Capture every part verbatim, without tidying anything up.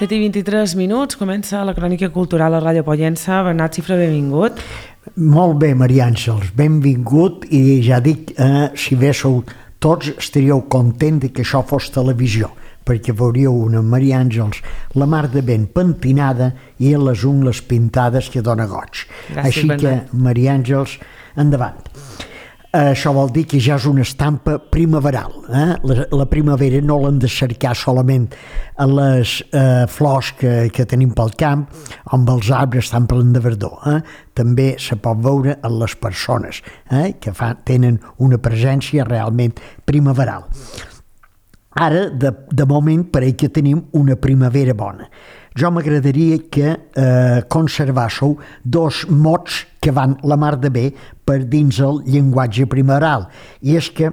set i vint-i-tres minuts, comença la crònica cultural a Ràdio Pollença. Bernat Xifra, benvingut. Molt bé, Maria Àngels, benvingut, i ja dic, eh, si véssiu tots estaríeu contents que això fos televisió, perquè veuríeu una Maria Àngels, la mar de ben pentinada i les ungles pintades que dona goig. Gràcies, Així Bernat. que, Maria Àngels, endavant. Això vol dir que ja és una estampa primaveral. Eh? La, la primavera no l'hem de cercar solament a les eh, flors que, que tenim pel camp, on els arbres estan plens de verdor. Eh? També se pot veure en les persones, eh? que fa, tenen una presència realment primaveral. Ara, de, de moment, pareix que tenim una primavera bona. Jo m'agradaria que eh, conservássiu dos mots que van la mar de bé per dins el llenguatge primaveral, i és que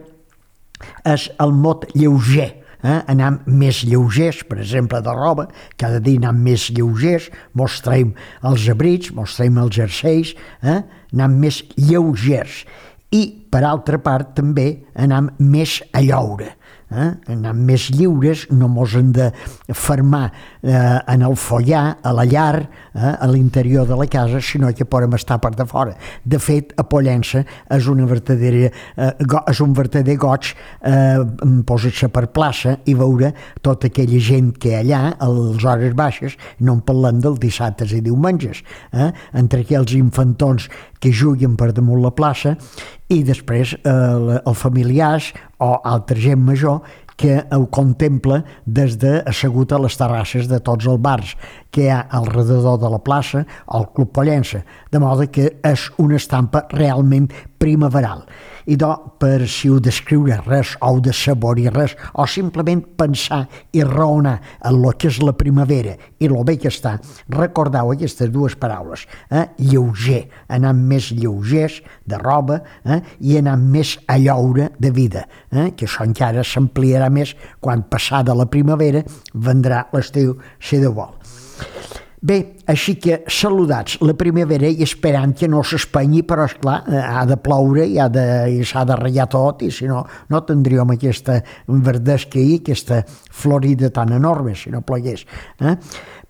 és el mot lleuger, eh? Anem més lleugers, per exemple, de roba, cada dia anem més lleugers, mos traiem els abrics, mos traiem els jerseis, eh? Anem més lleugers, i per altra part també anem més a lloure. Eh? Anem més lliures, no mos hem de fermar eh, en el follar, a la llar, eh, a l'interior de la casa, sinó que podem estar per de fora. De fet, a Pollença és, una vertadera, eh, go, és un vertader goig eh, posar-se per plaça i veure tota aquella gent que allà, a les hores baixes, no en parlem dels dissabtes i diumenges, eh? entre aquells infantons que juguen per damunt la plaça, i després eh, els familiars o altra gent major que ho contempla des de assegut a les terrasses de tots els bars que hi ha al redador de la plaça o al Club Pollença, de modo que és una estampa realment primaveral. I doncs, per si heu d'escriure res o heu de saborir res o simplement pensar i raonar en el que és la primavera i el bé que està, recordeu aquestes dues paraules, eh? lleuger, anar més lleugers de roba, eh? i anar més a lloure de vida, eh? que això encara s'ampliarà més quan passada la primavera vendrà l'estiu si de vol. Bé, així que saludats la primavera i esperant que no s'espanyi, però esclar, ha de ploure i, ha de, i s'ha de ratllar tot, i si no, no tindríem aquesta verdesca i aquesta florida tan enorme si no plogués. Eh?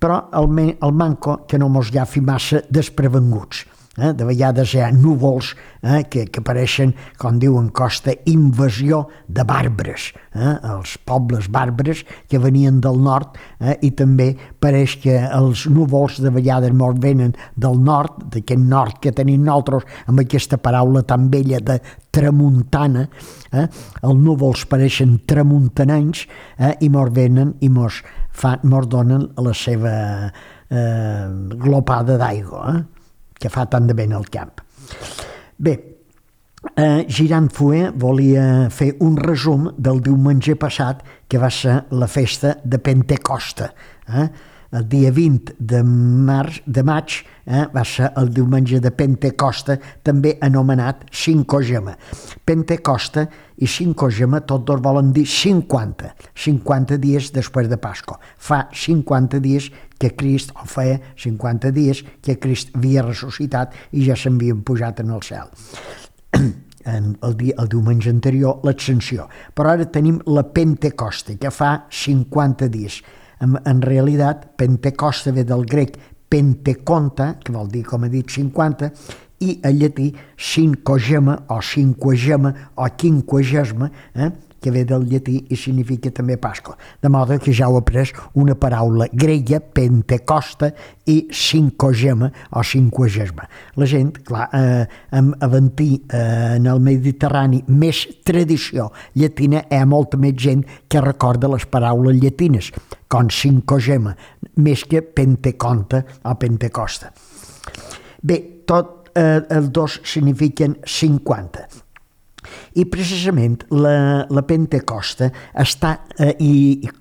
Però el, el manco que no mos llafi massa desprevenguts. Eh? De vegades hi ha núvols eh? que, que apareixen, com diuen Costa, invasió de bàrbares, eh? els pobles bàrbares que venien del nord, eh? i també pareix que els núvols de vegades mos venen del nord, d'aquest nord que tenim nosaltres, amb aquesta paraula tan vella de tramuntana, eh? els núvols pareixen tramuntanencs, eh? i mos venen i mos, fan, mos donen la seva eh, glopada d'aigua, eh? que fa tant de bé al camp. Bé, eh, Girant Fuer volia fer un resum del diumenge passat, que va ser la festa de Pentecosta. Eh? El dia vint de, març, de maig eh, va ser el diumenge de Pentecosta, també anomenat Cinquagema. Pentecosta i Cinquagema tots dos volen dir cinquanta, cinquanta dies després de Pasqua. Fa cinquanta dies que Crist, o feia cinquanta dies que Crist havia ressuscitat i ja s'havien pujat en el cel. En el, dia, el diumenge anterior, l'Ascensió. Però ara tenim la Pentecosta, que fa cinquanta dies. En, en realitat, Pentecosta ve del grec penteconta, que vol dir, com he dit, cinquanta, i en llatí cinquagema o cinquagema o quinquagesma, eh? que ve del llatí i significa també Pasqua. De modo que ja heu après una paraula grega, Pentecosta, i cinquagema o cinquagesma. La gent, clar, eh, amb avantir eh, en el Mediterrani més tradició llatina, hi ha molta més gent que recorda les paraules llatines, com cinquagema, més que Penteconta o Pentecosta. Bé, tot eh, els dos signifiquen cinquanta. I precisament la, la Pentecosta està, eh, i,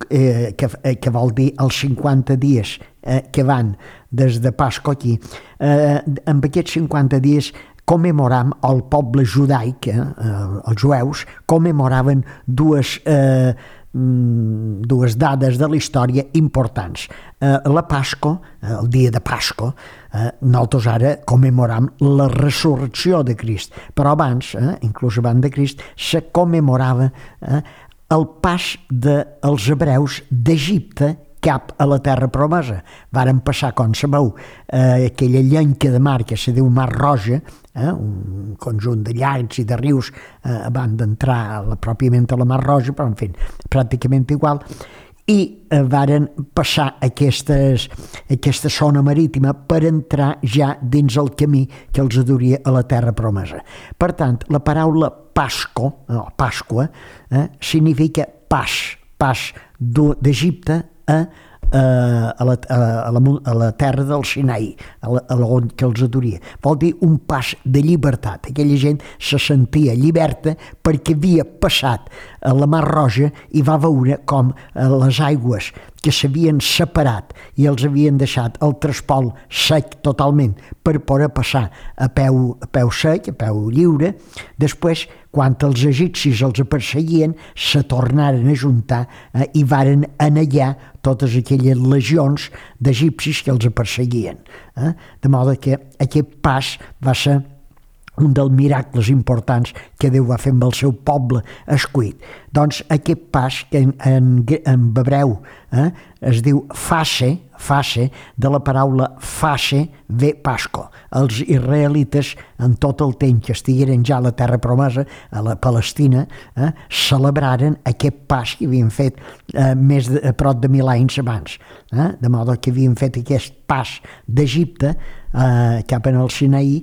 eh, que, eh, que vol dir els cinquanta dies eh, que van des de Pasqua aquí, eh, amb aquests cinquanta dies commemoram, el poble judaic, eh, els jueus, commemoraven dues, eh, dues dades de la història importants. Eh, la Pasco, el dia de Pasco, eh, nosaltres ara commemoram la resurrecció de Crist, però abans, eh, inclús abans de Crist, se commemorava eh, el pas dels hebreus d'Egipte cap a la terra promesa. Varen passar, com sabeu, eh, aquella llenca de mar que se diu Mar Roja, eh, un conjunt de llacs i de rius eh, abans d'entrar a la, pròpiament a la Mar Roja, però en fi, pràcticament igual, i eh, varen passar aquestes, aquesta zona marítima per entrar ja dins el camí que els duria a la terra promesa. Per tant, la paraula Pasco, no, Pasqua, eh, significa pas, pas d'Egipte a, a, la, a, la, a la terra del Sinaí, a, la, a la on que els adoria. Vol dir un pas de llibertat. Aquella gent se sentia lliberta perquè havia passat a la Mar Roja i va veure com les aigües que s'havien separat i els havien deixat el trespol sec totalment per poder passar a peu, a peu sec, a peu lliure. Després, quan els egipcis els perseguien, se tornaren a juntar eh, i varen anellar totes aquelles legions d'egipcis que els perseguien. Eh? De modo que aquest pas va ser un dels miracles importants que Déu va fer amb el seu poble escollit. Doncs aquest pas que en, en, en hebreu eh, es diu fase, fase, de la paraula fase ve Pasco. Els israelites, en tot el temps que estigueren ja a la terra promesa, a la Palestina, eh, celebraren aquest pas que havien fet eh, més de, a prop de mil anys abans. Eh, de modo que havien fet aquest pas d'Egipte eh, cap en el Sinaí,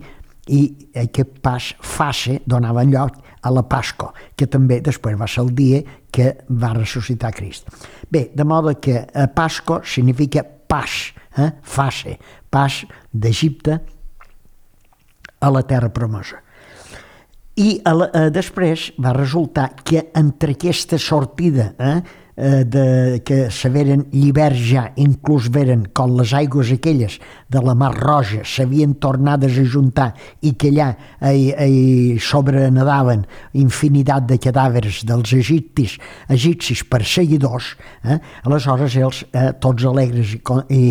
i aquest pas fase donava lloc a la Pasco, que també després va ser el dia que va ressuscitar Crist. Bé, de modo que Pasco significa pas, eh? fase, pas d'Egipte a la terra promesa. I a la, eh, després va resultar que entre aquesta sortida eh, de, que se veren lliberts ja, inclús veren com les aigües aquelles de la Mar Roja s'havien tornades a juntar i que allà eh, eh, sobrenadaven infinitat de cadàvers dels egipcis, egipcis perseguidors, eh, aleshores ells, eh, tots alegres i, i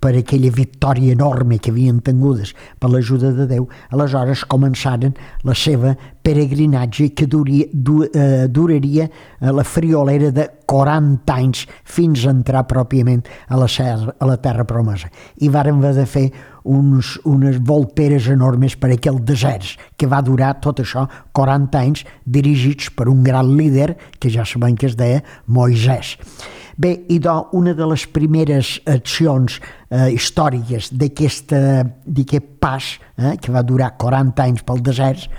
per aquella victòria enorme que havien tingudes per l'ajuda de Déu, aleshores començaren la seva peregrinatge que duria, du, eh, duraria a la friolera de quaranta anys fins a entrar pròpiament a la, serra, a la terra promesa. I varen haver de fer uns, unes volteres enormes per aquell desert, que va durar tot això quaranta anys, dirigits per un gran líder que ja sabem que es deia Moisès. Bé, i doncs una de les primeres accions eh, històriques d'aquest pas, eh, que va durar quaranta anys pel desert,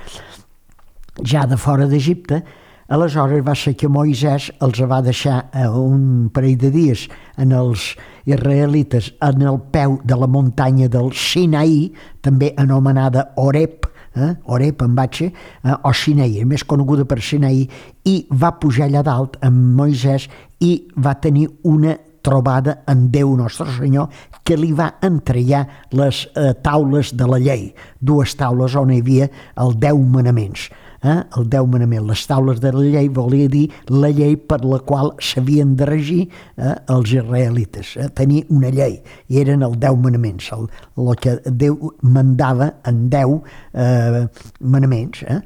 ja de fora d'Egipte, aleshores va ser que Moisès els va deixar eh, un parell de dies en els israelites en el peu de la muntanya del Sinaí, també anomenada Horeb, eh, Horeb en batxe, eh, o Sinaí, més coneguda per Sinaí, i va pujar allà dalt amb Moisès i va tenir una trobada amb Déu Nostre Senyor, que li va entregar les eh, taules de la llei, dues taules on hi havia els deu manaments. Eh? El deu manament, les taules de la llei volia dir la llei per la qual s'havien de regir eh, els israelites, eh? tenir una llei, i eren els deu manaments, el, el que Déu mandava en deu eh, manaments. Eh?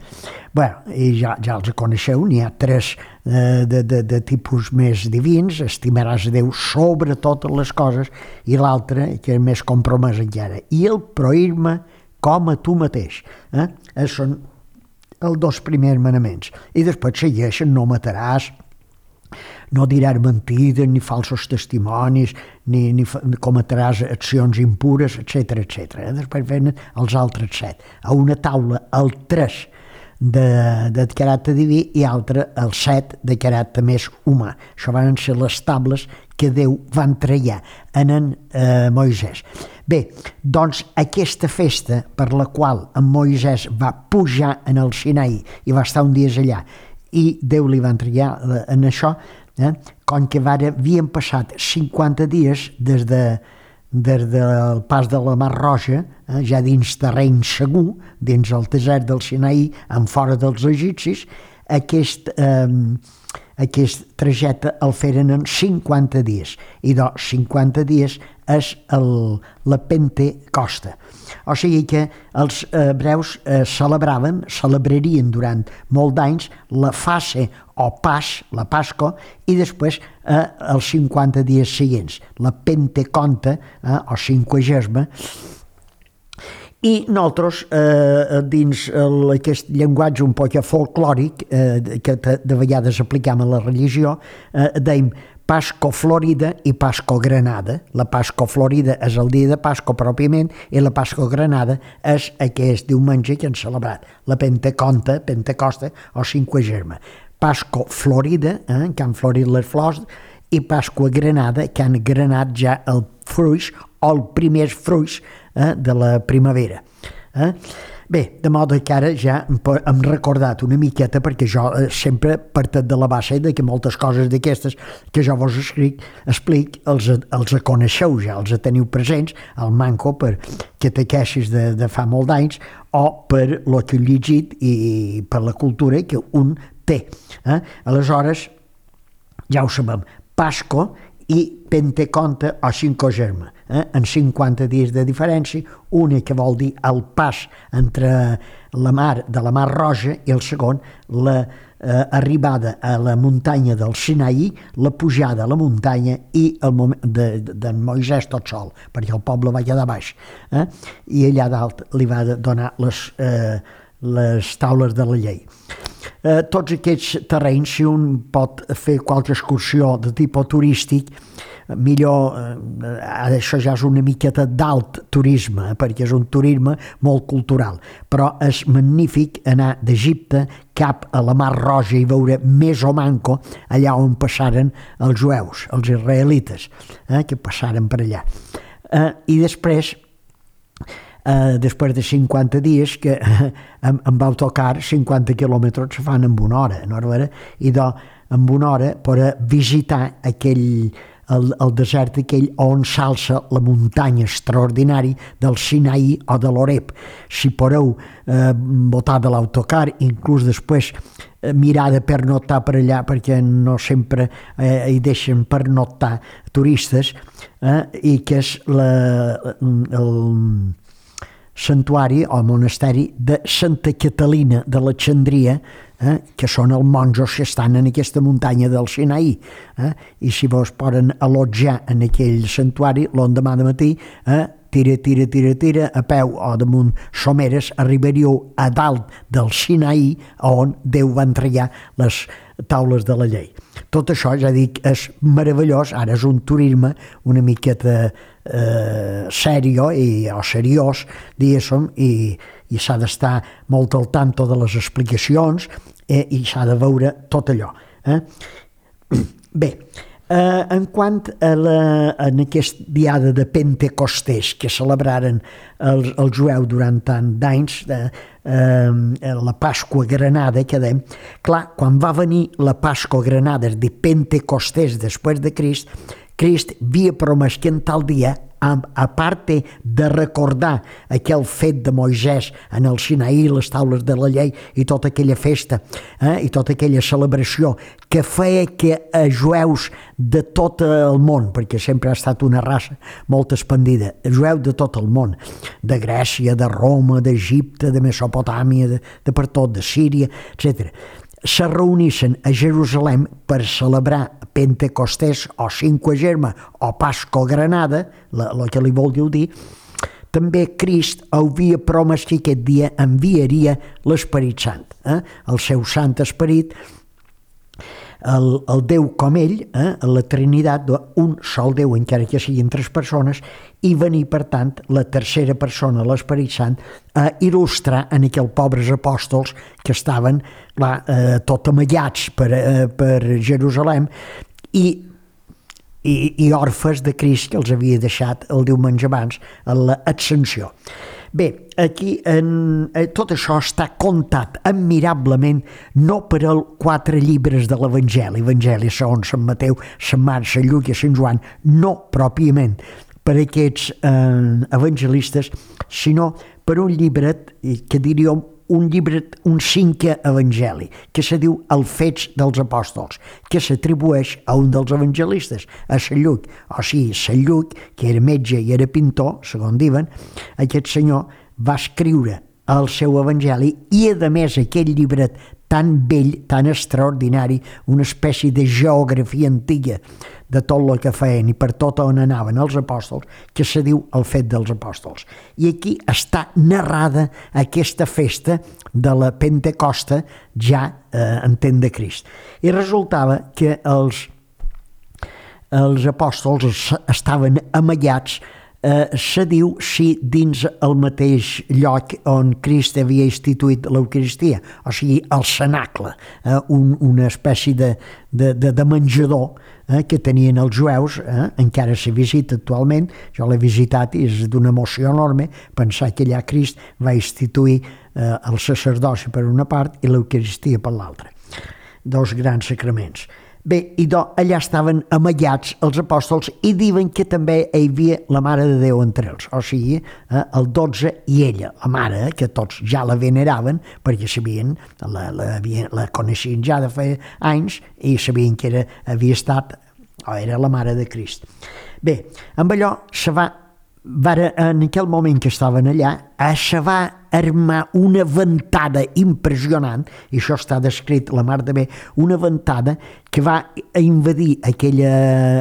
Bé, i ja, ja els coneixeu, n'hi ha tres eh, de, de, de tipus més divins: estimaràs a Déu sobre totes les coses, i l'altre, que és més compromès encara, i el prohir-me com a tu mateix. Eh? Eh, són els dos primers manaments. I després segueixen: no mataràs, no diràs mentides, ni falsos testimonis, ni, ni cometràs accions impures, etcètera, etcètera. Després venen els altres set. A una taula, el tres de, de caràcter diví i altre, el set de caràcter més humà. Això van ser les tables que Déu va entregar en en eh, Moisès. Bé, doncs aquesta festa per la qual en Moisès va pujar en el Sinaí i va estar un dia allà i Déu li va entregar en això, eh, com que havien passat cinquanta dies des de des del pas de la Mar Roja, eh, ja dins terreny segur, dins el desert del Sinaí, en fora dels egipcis, aquest, eh, aquest trajecte el feren en cinquanta dies, i de cinquanta dies és el, la Pentecosta. O sigui que els hebreus eh, celebraven, celebrarien durant molt d'anys la fase o pas, la Pasco, i després eh, els cinquanta dies següents, la Penteconta eh, o cinquagesma. I nosaltres, eh, dins el, aquest llenguatge un poc folclòric, eh, que de vegades aplicam a la religió, eh, deim Pasco Florida i Pasco Granada. La Pasco Florida és el dia de Pasco pròpiament i la Pasco Granada és aquest diumenge que hem celebrat, la Penteconta, Pentecosta o cinquagesma. Pasco Florida, eh, que han florit les flors, i Pasqua Granada, que han granat ja el fruix o els primers fruits eh, de la primavera. Eh? Bé, de modo que ara ja hem recordat una miqueta, perquè jo eh, sempre partit de la base de que moltes coses d'aquestes que jo vos escric, explic, els, els coneixeu ja, els teniu presents, al manco per catequesis de, de fa molt d'anys, o per lo que he llegit i per la cultura que un té. Eh? Aleshores, ja ho sabem, Pasco i Penteconta o cinquagesma, eh? en cinquanta dies de diferència, una que vol dir el pas entre la mar de la Mar Roja i el segon, la eh, arribada a la muntanya del Sinaí, la pujada a la muntanya i el moment de, de, de Moisès tot sol, perquè el poble va quedar baix, eh? i allà dalt li va donar les, eh, les taules de la llei. Eh, tots aquests terrenys, si un pot fer qualque excursió de tipus turístic, millor, eh, això ja és una miqueta d'alt turisme, eh, perquè és un turisme molt cultural, però és magnífic anar d'Egipte cap a la Mar Roja i veure més o manco allà on passaren els jueus, els israelites, eh, que passaren per allà. Eh, I després, Uh, després de cinquanta dies que uh, em, em vau tocar cinquanta quilòmetres se fan en una hora, no? I de, en una hora per visitar aquell, el, el desert aquell on s'alça la muntanya extraordinari del Sinaí o de l'Oreb. Si podeu eh, botar de l'autocar, inclús després eh, mirar de pernoctar per allà, perquè no sempre eh, hi deixen pernoctar turistes, eh, i que és la, el santuari o monasteri de Santa Catalina de l'Alexandria, eh, que són els monjos que estan en aquesta muntanya del Sinaí. Eh, I si vos poden allotjar en aquell santuari, l'endemà de matí, eh, tira, tira, tira, tira, a peu o damunt someres, arribaríeu a dalt del Sinaí, on Déu va entregar les taules de la llei. Tot això, ja dic, és meravellós. Ara és un turisme una miqueta eh, serio i, o seriós, diguéssim, i, i s'ha d'estar molt al tanto de les explicacions eh, i s'ha de veure tot allò. Eh? Bé, eh, en quant a, la, a aquesta diada de Pentecostés que celebraren els, els jueus durant tant d'anys, eh, eh, la Pasqua Granada, que dèiem, clar, quan va venir la Pasqua Granada de Pentecostés després de Crist, Crist havia promès que en tal dia, a part de recordar aquell fet de Moisès en el Sinaí, les taules de la llei i tota aquella festa eh, i tota aquella celebració que feia que a jueus de tot el món, perquè sempre ha estat una raça molt expandida, jueus de tot el món, de Grècia, de Roma, d'Egipte, de Mesopotàmia, de, de per tot, de Síria, etcètera, se reunissin a Jerusalem per celebrar Pentecostés o cinquagesma o Pasco Granada, el que li voldríeu dir, també Crist havia promès que aquest dia enviaria l'Esperit Sant, eh? el seu Sant Esperit, el, el Déu com ell, eh? la Trinitat, un sol Déu, encara que siguin tres persones, i venir, per tant, la tercera persona, l'Esperit Sant, a il·lustrar en aquells pobres apòstols que estaven clar, eh, tot amagats per, eh, per Jerusalem i, i, i orfes de Crist que els havia deixat el diumenge abans a l'Ascensió. Bé, aquí en, eh, tot això està contat admirablement no per als quatre llibres de l'Evangeli, Evangeli segons Sant Mateu, Sant Marc, Sant Lluc i Sant Joan, no pròpiament, per aquests eh, evangelistes, sinó per un llibret que diríem un llibret, un cinquè evangeli, que se diu El Fets dels Apòstols, que s'atribueix a un dels evangelistes, a Sant Lluc. O sigui, Sant Lluc, que era metge i era pintor, segons diuen, aquest senyor va escriure el seu evangeli i, a més, aquell llibret tan vell, tan extraordinari, una espècie de geografia antiga de tot el que feien i per tot on anaven els apòstols, que se diu El Fet dels Apòstols. I aquí està narrada aquesta festa de la Pentecosta ja eh, en temps de Crist. I resultava que els, els apòstols estaven amagats. Eh, se diu si dins el mateix lloc on Crist havia instituït l'Eucaristia, o sigui, el cenacle, eh, un, una espècie de, de, de, de menjador eh, que tenien els jueus, eh, encara se visita actualment, jo l'he visitat i és d'una emoció enorme pensar que allà Crist va instituir eh, el sacerdoci per una part i l'Eucaristia per l'altra. Dos grans sacraments. Bé, i do, allà estaven amagats els apòstols i diuen que també hi havia la Mare de Déu entre ells, o sigui, eh, el dotze i ella, la Mare, que tots ja la veneraven perquè sabien, la, la, la coneixien ja de fa anys i sabien que era, havia estat, o era la Mare de Crist. Bé, amb allò se va, va en aquell moment que estaven allà, se va armar una ventada impressionant, i això està descrit la mar de bé, una ventada que va invadir aquella,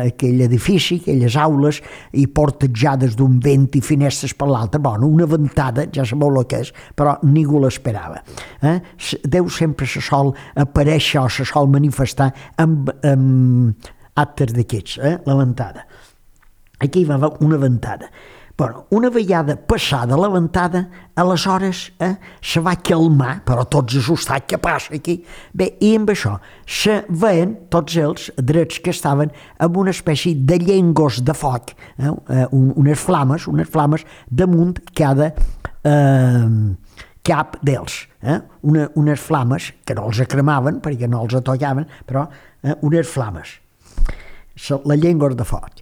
aquell edifici, aquelles aules, i portejades d'un vent i finestres per l'altre. Bueno, una ventada, ja sabeu el que és, però ningú l'esperava. Eh? Déu sempre se sol aparèixer o se sol manifestar amb, amb actes d'aquests, eh? La ventada. Aquí hi va haver una ventada. Bueno, una vegada passada la ventada, aleshores eh, se va calmar, però tots assustats, què passa aquí? Bé, i amb això se veien tots ells, drets que estaven, amb una espècie de llengos de foc, eh, unes flames, unes flames damunt cada eh, cap d'ells. Eh? Una, unes flames que no els cremaven, perquè no els tocaven, però eh, unes flames. La llengua de foc.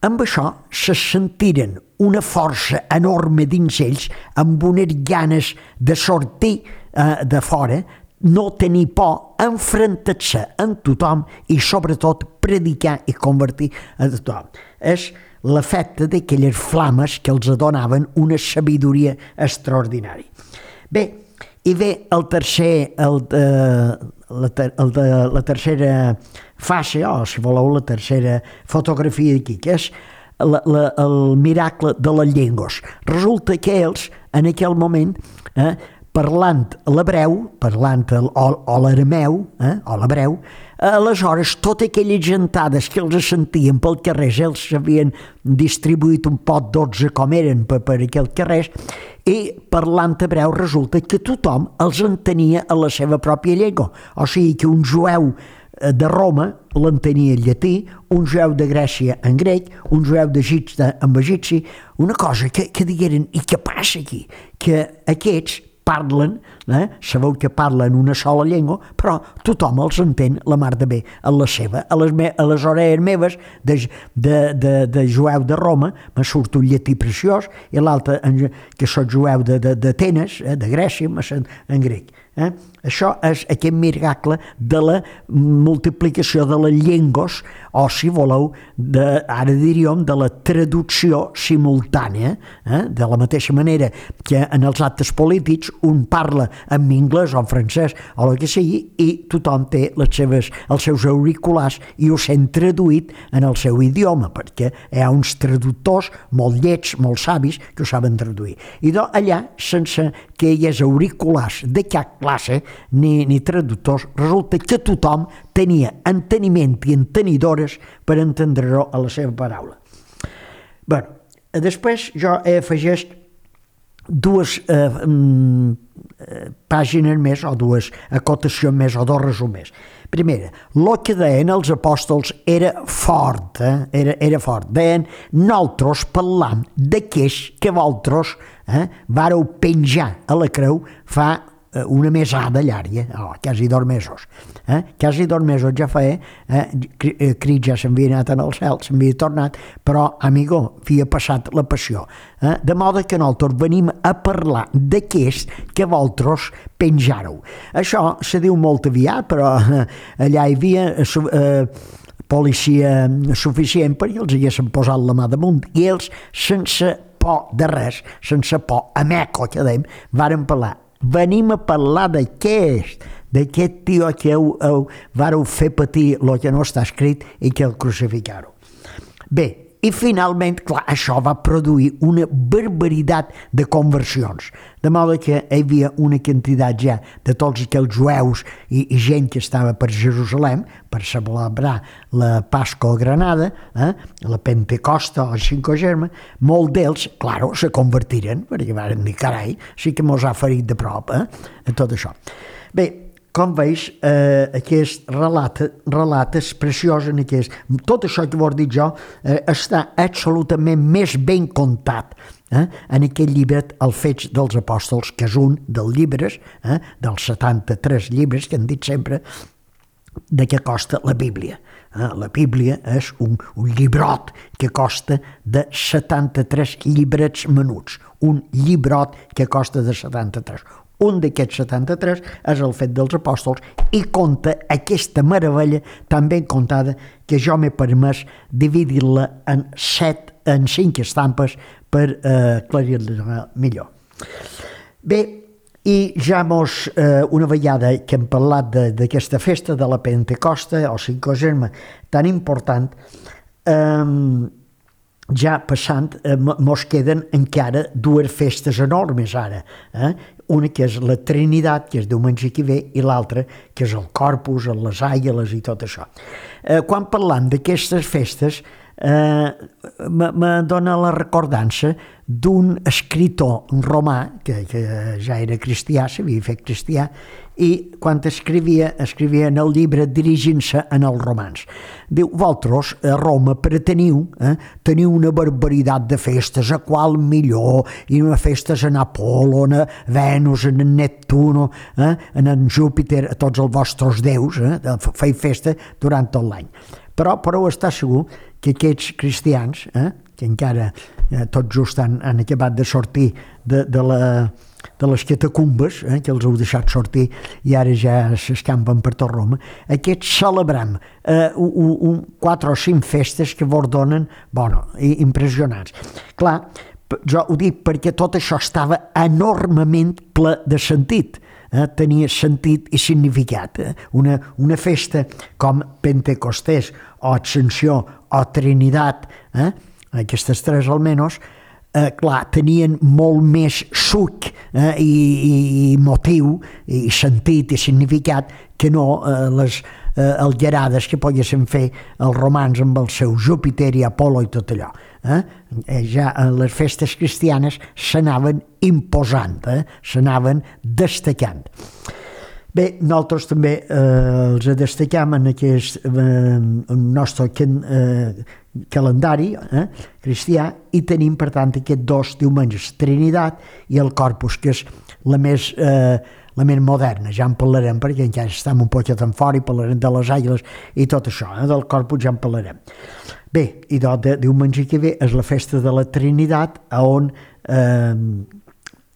Amb això se sentiren una força enorme dins ells, amb unes ganes de sortir eh, de fora, no tenir por, enfrontar-se amb tothom i sobretot predicar i convertir a tothom. És l'efecte d'aquelles flames que els donaven una sabidoria extraordinària. Bé, i ve el tercer, el, eh, la, ter, el de, la tercera fase, o si voleu la tercera fotografia d'aquí, que és la, la, el miracle de les llengües. Resulta que ells, en aquell moment, eh, parlant l'hebreu, parlant el, o, o l'arameu, eh, o l'hebreu, aleshores totes aquelles gentades que els sentien pel carrer, ells s'havien distribuït un pot dotze com eren per, per aquell carrer, i parlant hebreu resulta que tothom els entenia a la seva pròpia llengua. O sigui que un jueu de Roma l'entenia en llatí, un jueu de Grècia en grec, un jueu d'Egipte en egipci, una cosa que, que digueren, i què passa aquí? Que aquests parlen, eh? Sabeu que parlen una sola llengua, però tothom els entén la mar de bé, a la seva. A les, me, a les orelles meves de, de, de, de jueu de Roma me surt un llatí preciós i l'altre, que soc jueu d'Atenes, eh? De Grècia, me surt en grec. Eh? Això és aquest miracle de la multiplicació de les llengües, o si voleu, de, ara diríem, de la traducció simultània, eh? De la mateixa manera que en els actes polítics un parla en anglès o en francès o el que sigui i tothom té les seves, els seus auriculars i ho sent traduït en el seu idioma, perquè hi ha uns traductors molt llets, molt savis, que ho saben traduir. I doncs allà, sense que hi hagués auriculars de cap classe ni, ni traductors, resulta que tothom tenia enteniment i entenidores per entendre-ho a la seva paraula. Bé, després jo he afegit dues eh, eh, pàgines més, o dues acotacions més, o dos resumers. Primera, el que deien els apòstols era fort, eh? era, era fort. Deien, nosaltres parlam d'aquells que vosaltres eh, vareu penjar a la creu fa una mesada llarga, oh, quasi dos mesos. Eh? Quasi dos mesos ja feia, eh? Crist ja s'havia anat en el cel, s'havia tornat, però, amigo, havia passat la passió. Eh? De modo que nosaltres venim a parlar d'aquest que vosaltres penjareu. Això se diu molt aviat, però eh, allà hi havia eh, policia suficient perquè els haguessin posat la mà damunt, i ells, sense por de res, sense por, a meco, que dèiem, varen parlar. Venim a parlar d'aquest, d'aquest tio que heu, heu, vareu fer patir el que no està escrit i que el crucificareu. Bé, i finalment, clar, això va produir una barbaritat de conversions, de modo que hi havia una quantitat ja de tots aquells jueus i, i gent que estava per Jerusalem per celebrar la Pasco a Granada, eh, la Pentecosta o el Cinquagesima, molt d'ells, clar, se convertiren, perquè van dir, carai, sí que mos ha ferit de prop, eh, tot això. Bé, com veus, eh, aquest relat, relat és preciós en aquest... Tot això que vos dic jo eh, està absolutament més ben contat eh, en aquest llibre, Els Fets dels Apòstols, que és un dels llibres, eh, dels setanta-tres llibres que han dit sempre de què costa la Bíblia. Eh, la Bíblia és un, un llibrot que costa de setanta-tres llibrets menuts. Un llibrot que costa de setanta-tres. Un d'aquests setanta-tres és El Fet dels Apòstols i conta aquesta meravella tan ben contada que jo m'he permès dividir-la en set, en cinc estampes per eh, aclarir-la millor. Bé, i ja mos, eh, una vegada que hem parlat d'aquesta festa de la Pentecosta o Cinquagesima tan important, eh, ja passant, eh, mos queden encara dues festes enormes ara, eh? Una que és la Trinitat, que és diumenge que ve, i l'altra que és el Corpus, les Àguiles i tot això. Eh, quan parlant d'aquestes festes, eh, me dona la recordança d'un escritor romà, que, que ja era cristià, s'havia fet cristià, i quan escrivia, escrivia en el llibre dirigint-se en els romans. Diu, vosaltres a Roma preteniu, eh, teniu una barbaritat de festes, a qual millor, i una festes en Apol·lo, en Venus, en Neptuno, eh, en en Júpiter, a tots els vostres déus, eh, feu festa durant tot l'any. Però podeu estar segur que aquests cristians, eh, que encara eh, tot just han, han acabat de sortir de, de, la, de les catacumbes, eh, que els heu deixat sortir i ara ja s'escampen per tot Roma, aquests celebram eh, un, un, quatre o cinc festes que vos donen, bueno, impressionants. Clar, jo ho dic perquè tot això estava enormement ple de sentit. Eh, tenia sentit i significat. Eh? Una, una festa com Pentecostés o Ascensió o Trinitat, eh? Aquestes tres almenys, eh, clar, tenien molt més suc eh, i, i motiu i sentit i significat que no eh, les eh, algerades que poguessin fer els romans amb el seu Júpiter i Apol·lo i tot allò. Eh? Ja les festes cristianes s'anaven imposant, eh? s'anaven destacant. Bé, nosaltres també eh, els destacam en aquest eh, nostre eh, calendari eh, cristià i tenim, per tant, aquests dos diumenges, Trinitat i el Corpus, que és la més, eh, la més moderna. Ja en parlarem perquè encara estem un poquet en fora i parlarem de les Àguiles i tot això, eh, del Corpus ja en parlarem. Bé, i de, de diumenge que ve és la festa de la Trinitat, on eh,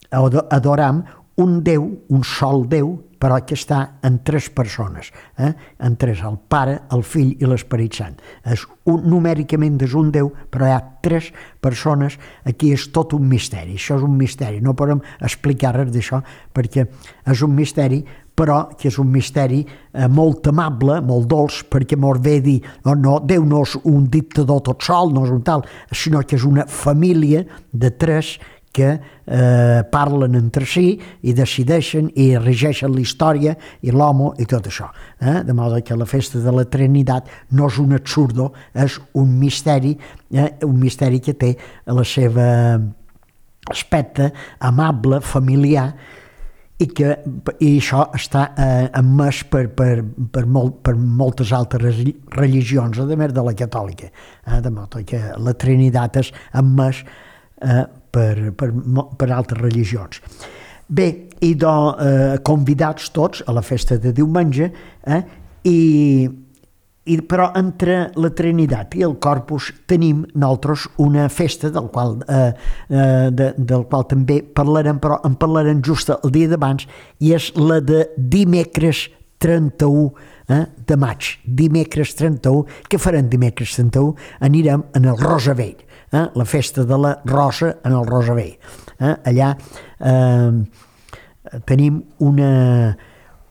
adoram un Déu, un sol Déu, però que està en tres persones, eh? en tres, el Pare, el Fill i l'Esperit Sant. És un, numèricament és un Déu, però hi ha tres persones, aquí és tot un misteri, això és un misteri, no podem explicar res d'això, perquè és un misteri, però que és un misteri eh, molt amable, molt dolç, perquè mos ve dir, no, no, Déu no és un dictador tot sol, no és un tal, sinó que és una família de tres que eh, parlen entre si i decideixen i regeixen la història i l'home i tot això. Eh? De modo que la festa de la Trinitat no és un absurdo, és un misteri, eh? un misteri que té la seva aspecte amable, familiar, i que i això està eh, emès per, per, per, molt, per moltes altres religions, a més de la catòlica. Eh? De modo que la Trinitat és emès eh, Per, per, per altres religions. Bé, i do, eh, convidats tots a la festa de diumenge, eh, I, i, però entre la Trinitat i el Corpus tenim nosaltres una festa del qual, eh, eh, de, del qual també parlarem, però en parlarem just el dia d'abans, i és la de dimecres trenta-u eh, de maig. Dimecres trenta-u, què farem dimecres trenta-u? Anirem en el Rosavell, eh, la festa de la Rosa en el Rosavell. Eh, allà eh, tenim una,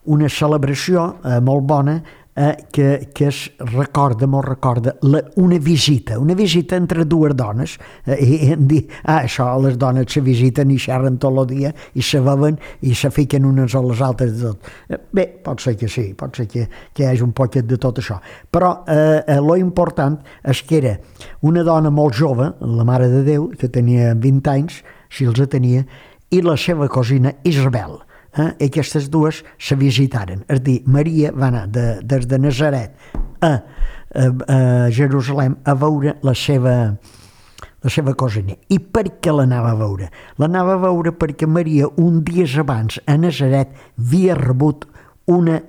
una celebració eh, molt bona eh, que, que es recorda, molt recorda, la, una visita, una visita entre dues dones, eh, i em dir, ah, això, les dones se visiten i xerren tot el dia i se beuen i se fiquen unes a les altres de tot. Eh, bé, pot ser que sí, pot ser que, que hi hagi un poquet de tot això, però eh, eh, lo important és que era una dona molt jove, la Mare de Déu, que tenia vint anys, si els tenia, i la seva cosina Isabel. Eh? I aquestes dues se visitaren. És a dir, Maria va anar de, des de Nazaret a, a, a Jerusalem a veure la seva, la seva cosina. I per què l'anava a veure? L'anava a veure perquè Maria, un dies abans, a Nazaret, havia rebut una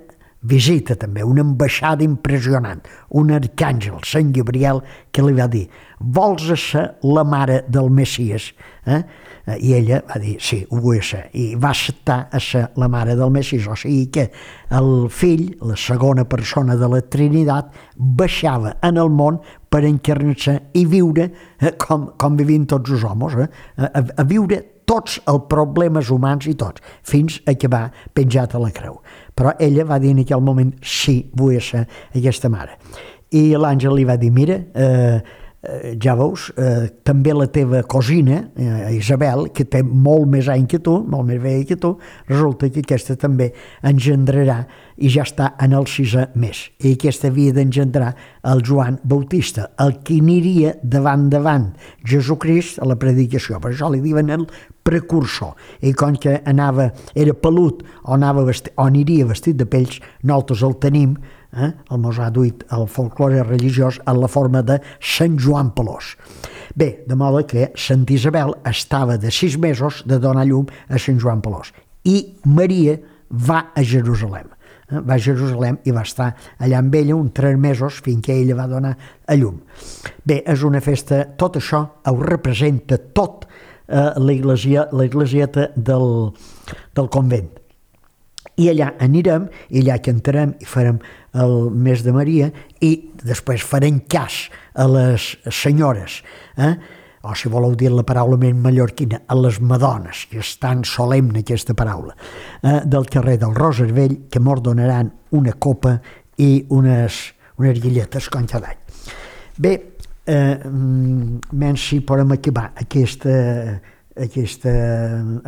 visita també, una ambaixada impressionant, un arcàngel, Sant Gabriel, que li va dir, vols ser la mare del Messies? Eh? I ella va dir, sí, ho vull ser, i va acceptar a ser la mare del Messies, o sigui que el fill, la segona persona de la Trinitat, baixava en el món per encarnar-se i viure eh, com, com vivim tots els homes, eh? a, a viure tots els problemes humans i tots, fins a que va penjat a la creu. Però ella va dir en aquell moment, sí, vull ser aquesta mare. I l'àngel li va dir, mira, eh, eh, ja veus, eh, també la teva cosina, eh, Isabel, que té molt més any que tu, molt més vella que tu, resulta que aquesta també engendrarà i ja està en el sisè mes. I aquesta havia d'engendrar el Joan Bautista, el que aniria davant davant Jesucrist a la predicació. Per això li diuen el precursor. I com que anava, era pelut o, anava vestit, o aniria vestit de pells, nosaltres el tenim, eh? el mos ha duit el folklore religiós en la forma de Sant Joan Pelós. Bé, de modo que Sant Isabel estava de sis mesos de donar llum a Sant Joan Pelós. I Maria va a Jerusalem. Eh? Va a Jerusalem i va estar allà amb ella uns tres mesos fins que ella va donar a llum. Bé, és una festa, tot això ho representa tot eh, l'església, l'esglésieta del, del convent. I allà anirem, i allà cantarem i farem el mes de Maria i després farem cas a les senyores, eh? o si voleu dir la paraula més mallorquina, a les madones, que és tan solemne aquesta paraula, eh? del carrer del Rosavell, que mos donaran una copa i unes, unes guilletes com cada any. Bé, eh, menys si podem acabar aquesta aquesta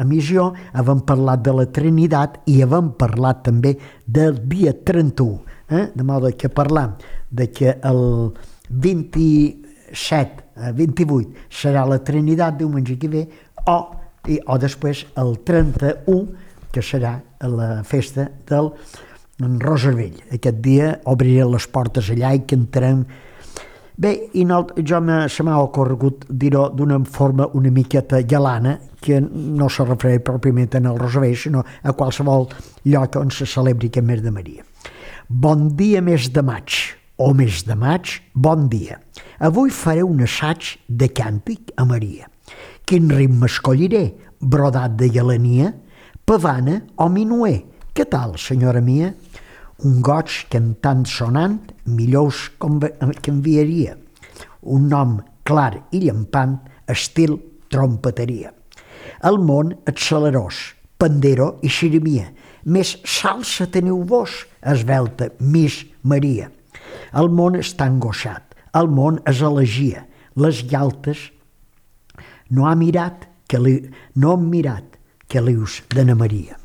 emissió, havem parlat de la Trinitat i havem parlat també del dia trenta-u, eh? de modo que parlam de que el vint-i-set, vint-i-vuit serà la Trinitat, diumenge que ve, o, i, o després el trenta-u, que serà la festa del Rosavell. Aquest dia obriré les portes allà i cantarem. Bé, i no, jo se m'ha ocorregut dir-ho d'una forma una miqueta galana, que no se refereix pròpiament en el Rosavell, sinó a qualsevol lloc on se celebri aquest mes de Maria. Bon dia, mes de maig, o mes de maig, bon dia. Avui faré un assaig de càntic a Maria. Quin ritme escolliré? Brodat de galania? Pavana o minuer? Què tal, senyora mia? Un goig cantant sonant, millor que enviaria. Un nom clar i llampant, estil trompeteria. El món accelerós, pandero i xirimia. Més salsa teniu vos, esvelta Miss Maria. El món està angoixat, el món és elegia. Les galtes no ha mirat que li, no han mirat que lius d'Anna Maria.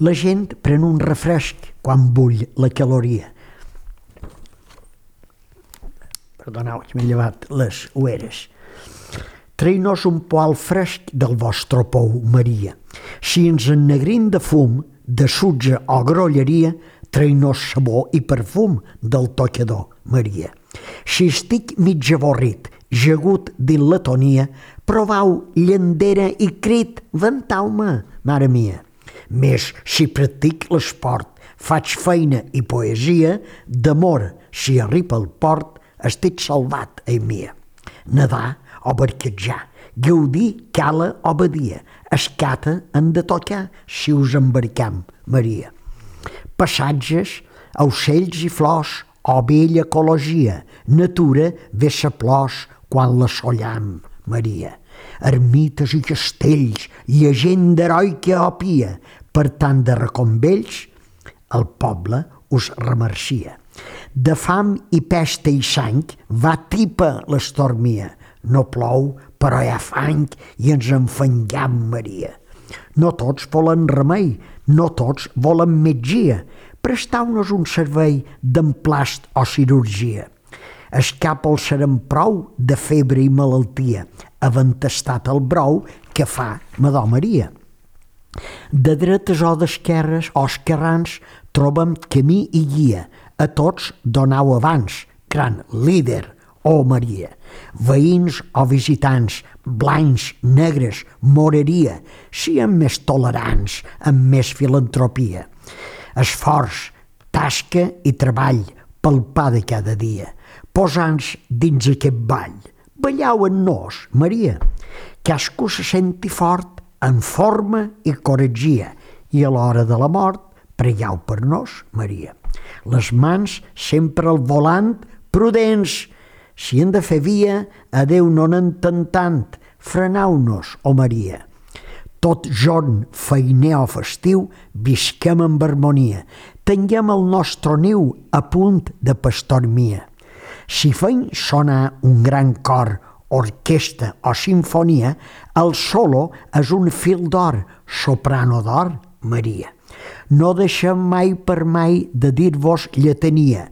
La gent pren un refresc quan bull la caloria. Perdoneu, que m'he llevat les ueres. Trei-nos un poal fresc del vostre pou, Maria. Si ens ennegrim de fum, de sutge o grolleria, trei-nos sabó i perfum del tocador, Maria. Si estic mig avorrit, jegut dins la tonia, provau llandera i crit, ventau-me, mare mia. Més si practic l'esport, Faig feina i poesia, d'amor, si arriba al port, estic salvat, ei mia. Nedar o barquetjar, gaudir cala o badia, escata han de tocar si us embarcam, Maria. Passatges, ocells i flors, o bella ecologia, natura ve sa plors quan la sollam, Maria. Ermites i castells, llegenda heroica o pia, per tant de reconvells, el poble us remercia. De fam i pesta i sang va tipa l'estormia. No plou, però hi ha fang i ens enfangam, Maria. No tots volen remei, no tots volen metgia. Prestau-nos un servei d'emplast o cirurgia. Escapa el serem prou de febre i malaltia, havent tastat el brou que fa Madó Maria. De dretes o d'esquerres o esquerrans trobem camí i guia. A tots donau abans, gran líder, oh Maria. Veïns o visitants, blancs, negres, moreria, siguem més tolerants, amb més filantropia. Esforç, tasca i treball pel pa de cada dia. Posant-nos dins aquest ball. Ballau en nos, Maria. Cascú se senti fort, en forma i coratgia, i a l'hora de la mort pregueu per nos, Maria. Les mans sempre al volant, prudents. Si hem de fer via, a Déu no n'entén tant. Frenau-nos, oh Maria. Tot jorn, feiner o festiu, visquem amb harmonia. Tinguem el nostre niu a punt de pastormia. Si feim sonar un gran cor, orquestra o sinfonia, el solo és un fil d'or, soprano d'or, Maria. No deixem mai per mai de dir-vos lletania,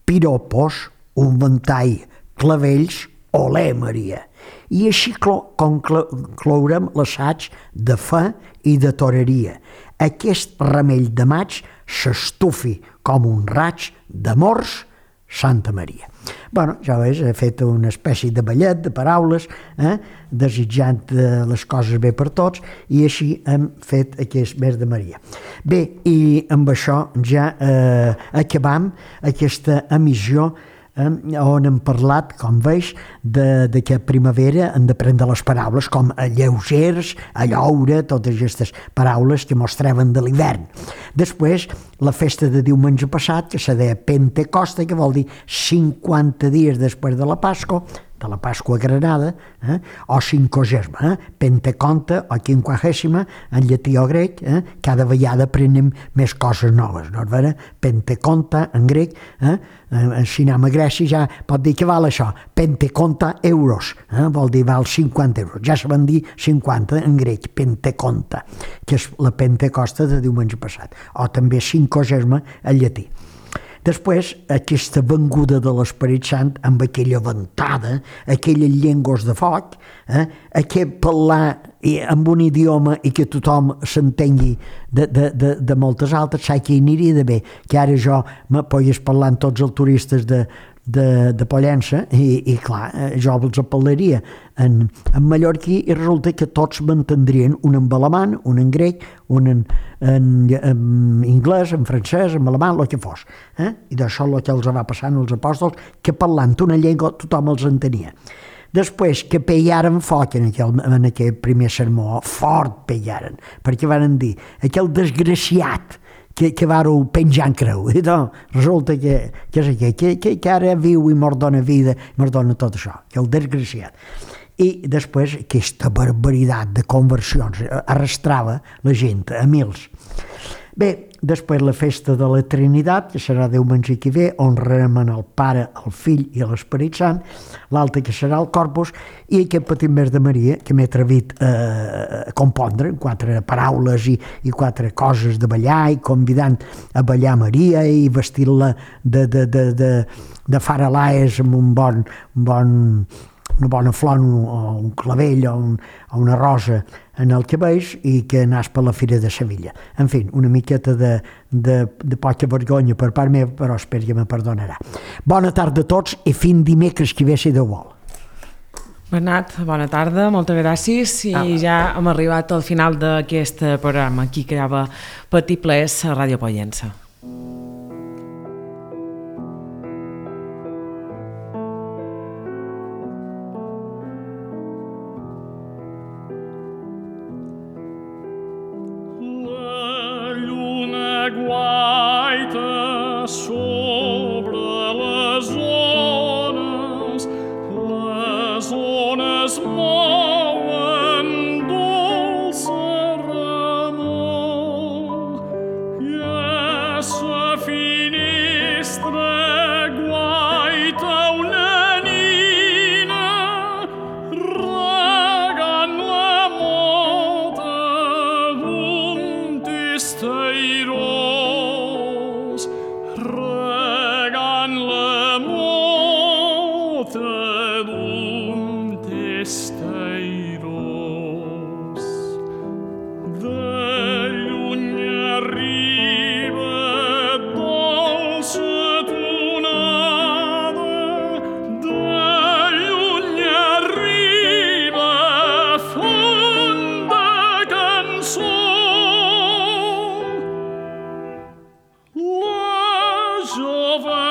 piropos, un ventall, clavells, olé, Maria. I així conclourem l'assaig de fe i de toreria. Aquest remell de maig s'estufi com un raig d'amors, Santa Maria. Bueno, ja veus, he fet una espècie de ballet de paraules, eh, desitjant eh, les coses bé per tots, i així hem fet aquest mes de Maria. Bé, i amb això ja eh, acabam aquesta emissió eh, on hem parlat, com veus, de, de que a primavera hem de prendre les paraules com a lleugers, a lloure, totes aquestes paraules que mostraven de l'hivern. Després, la festa de diumenge passat, que se deia Pentecosta, que vol dir cinquanta dies després de la Pasqua, de la Pasqua Granada, eh? o cinquagesima, eh? Penteconta o quinquagèsima, en llatí o grec, eh? Cada vegada aprenem més coses noves, no és vera? Penteconta en grec, eh? Si anem a Grècia ja pot dir que val això, Penteconta euros, eh? Vol dir val cinquanta euros, ja se van dir cinquanta en grec, Penteconta, que és la Pentecosta de diumenge passat, o també cinquagesima en llatí. Després, aquesta venguda de l'Esperit Sant, amb aquella ventada, aquelles llengües de foc, eh, aquest parlar amb un idioma i que tothom s'entengui de, de, de, de moltes altres, saps que aniria de bé, que ara jo me pogués parlar amb tots els turistes de, de, de Pollença i, i clar, jo els parlaria en, en mallorquí i resulta que tots m'entendrien, un en alemany, un en grec, un en, en, en anglès, en francès, en alemany, el que fos. Eh? I d'això el que els va passant als apòstols, que parlant una llengua tothom els entenia. Després que peiaren foc en aquell, en aquell primer sermó, fort peiaren, perquè van dir, aquell desgraciat que, que vareu penjar en creu, i doncs resulta que, que és aquell, que, que, que ara viu i mos dona vida, mos dona tot això, que el desgraciat. I després aquesta barbaritat de conversions arrastrava la gent a mils. Bé, després la festa de la Trinitat, que serà diumenge que ve, honrarem el Pare, el Fill i l'Esperit Sant, l'altre que serà el Corpus, i aquest petit mes de Maria, que m'he atrevit a compondre, quatre paraules i, i quatre coses de ballar, i convidant a ballar Maria i vestir-la de, de, de, de, de faralaes amb un bon, un bon, una bona flor o un clavell o, un, o una rosa en el cabell i que anàs per la Fira de Sevilla. En fi, una miqueta de, de, de poca vergonya per part meva, però espero que me perdonarà. Bona tarda a tots i fins dimecres que ve, si Déu vol. Bernat, bona tarda, moltes gràcies i ah. ja hem arribat al final d'aquest programa. Aquí quedava Petit Plés a Ràdio Pollença.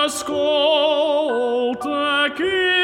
ascolta che